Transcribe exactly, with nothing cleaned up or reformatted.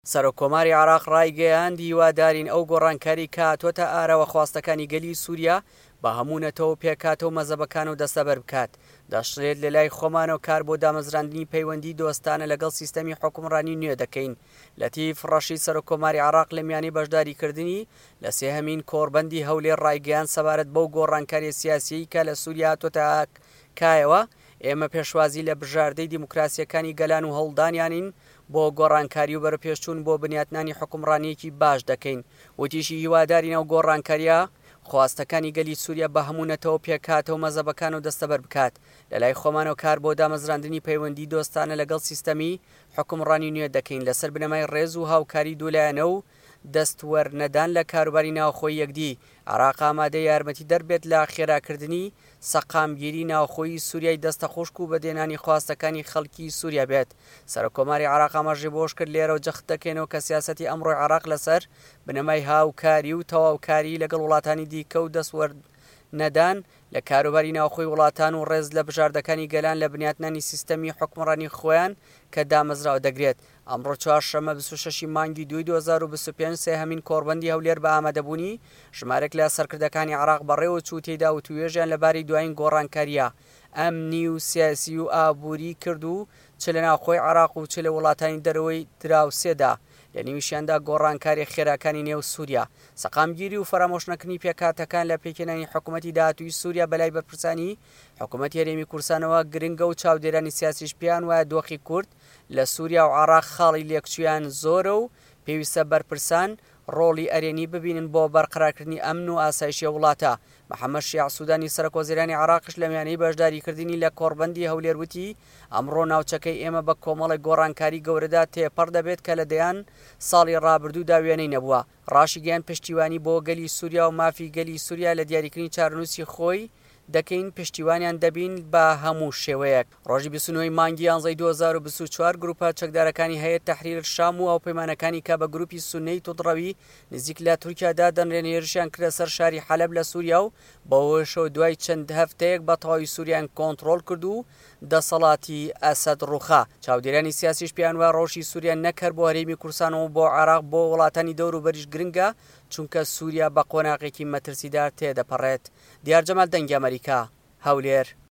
سەرۆککۆماری عێراق ڕایگەیاند، هیوادارین ئەو گۆڕانکاری کە هاتووەتە ئاراوە خواستەکانی گەلی سووریا بە هەموو نەتەوە و پێکهاتە و مەزهەبەکانەوە دەستەبەر بکات. دەشڵێت، لەلای خۆمانەوە کار بۆ دامەزراندنی پەیوەندی دۆستانە لەگەڵ سیستەمی حوکمڕانی نوێ دەکەین. لەتیف ڕەشید سەرۆککۆماری عێراق لە میانەی بەشداریکردنی لە سێهەمین کۆڕبەندی هەولێر ڕایگەیاند، سەبارەت بەو گۆڕانکاریە سیاسیەی کە لە سووریا هاتووەتە کایەوە، ئێمە پێشوازی لە بژاردەی دیموکراسیەکانی گەلان و هەوڵدانیانین بۆ گۆڕانکاری و بەرەوپێشچوون بۆ بنیاتنانی حوکمڕانییەکی باش دەکەین. وتیشی، هیوادارین ئەو گۆڕانکارییە خواستەکانی گەلی سووریا بە هەموو نەتەوە و پێکهاتە و مەزهەبەکانەوە دەستەبەر بکات. لەلای خۆمانەوە کار بۆ دامەزراندنی پەیوەندی دۆستانە لەگەڵ سیستەمی حوکمڕانی نوێ دەکەین لەسەر بنەمای ڕێز و هاوکاری دوولایەنە و دەستوەرنەدان لە کاروباری ناوخۆی یەکدی. عێراق ئامادەیە یارمەتیدەر بێت لە خێراکردنی سەقامگیری ناوخۆیی سووریای دەستەخوشک و بەدێنانی خواستەکانی خەڵکی سووریا بێت. سەرۆککۆماری عێراق ئاماژەی بەوەشکرد، لێرەوە جەخت دەکەینەوە کە سیاسەتی ئەمڕۆی عێراق لەسەر بنەمای هاوکاری و تەواوکاری لەگەڵ وڵاتانی دیکە و دەستوەرنەدان لە کاروباری ناوخۆی وڵاتان و ڕێز لە بژاردەکانی گەلان لە بنیاتنانی سیستەمی حوکمڕانی خۆیان کە دامەزراوە دەگرێت. ئەمڕۆ چوارشەممە بیست و شەش ی مانگی دووی دوو هەزار و بیست و پێنج سێهەمین کۆڕبەندی هەولێر بە ئامادەبوونی ژمارێک لە سەرکردەکانی عێراق بەڕێوەچوو، تێیدا وتووێژیان لەبارەی دوایین گۆڕانکارییە ئەمنی و سیاسی و ئابووری کرد و چ لە ناوخۆی عێراق و چ لە وڵاتانی دەرەوەی دراوسێدا، لە نێویشیاندا گۆڕانکارییە خێراکانی نێو سووریا. سەقامگیری و فەرامۆشنەکردنی پێکهاتەکان لە پێکهێنانی حکوومەتی داهاتووی سووریا بەلای بەرپرسانی حکوومەتی هەرێمی کوردستانەوە گرنگە و چاودێرانی سیاسیش پێیان وایە دۆخی کورد لە سووریا و عێراق خاڵی لێکچوویان زۆرە و پێویستە بەرپرسان ڕۆڵی ئەرێنی ببینن بۆ بەرقەرارکردنی ئەمن و ئاسایشی ئەو وڵاتە. محەممەد شیاع سوودانی سەرۆکوەزیرانی عێراقیش لە میانەی بەشداریکردنی لە کۆڕبەندی هەولێر وتی، ئەمڕۆ ناوچەکەی ئێمە بە کۆمەڵێک گۆڕانکاری گەورەدا تێپەڕ دەبێت کە لە دەیان ساڵی ڕابردوودا وێنەی نەبووە. ڕاشیگەیاند، پشتیوانی بۆ گەلی سووریا و مافی گەلی سووریا لە دیاریکردنی چارەنووسی خۆی دەکەین، پشتیوانیان دەبین بە هەموو شێوەیەک. ڕۆژی بیست و نۆ ی مانگی یانزەی دوو هەزار و بیست و چوار گروپە چەکدارەکانی هەیئەت تەحریر شام و هاوپەیمانەکانی کە بە گروپی سوننەی توندڕەوی نزیک لە تورکیا دادەنرێن هێرشیان کردە سەر شاری حەلەب لە سوریا و بەوەشەوە دوای چەند هەفتەیەک بە تەواوی سوریایان کۆنتڕۆڵ کرد و دەسەڵاتی ئەسەد ڕووخا. چاودێرانی سیاسیش پێیان وایە ڕەوشی سوریا نەک هەر بۆ هەرێمی کوردستان و بۆ عێراق بۆ وڵاتانی دەوروبەریش گرنگە، چونکە سوریا بە قۆناغێکی مەترسیدار تێدەپەڕێت. دیار جەمال، دەنگی ئەمەریکا، هەولێر.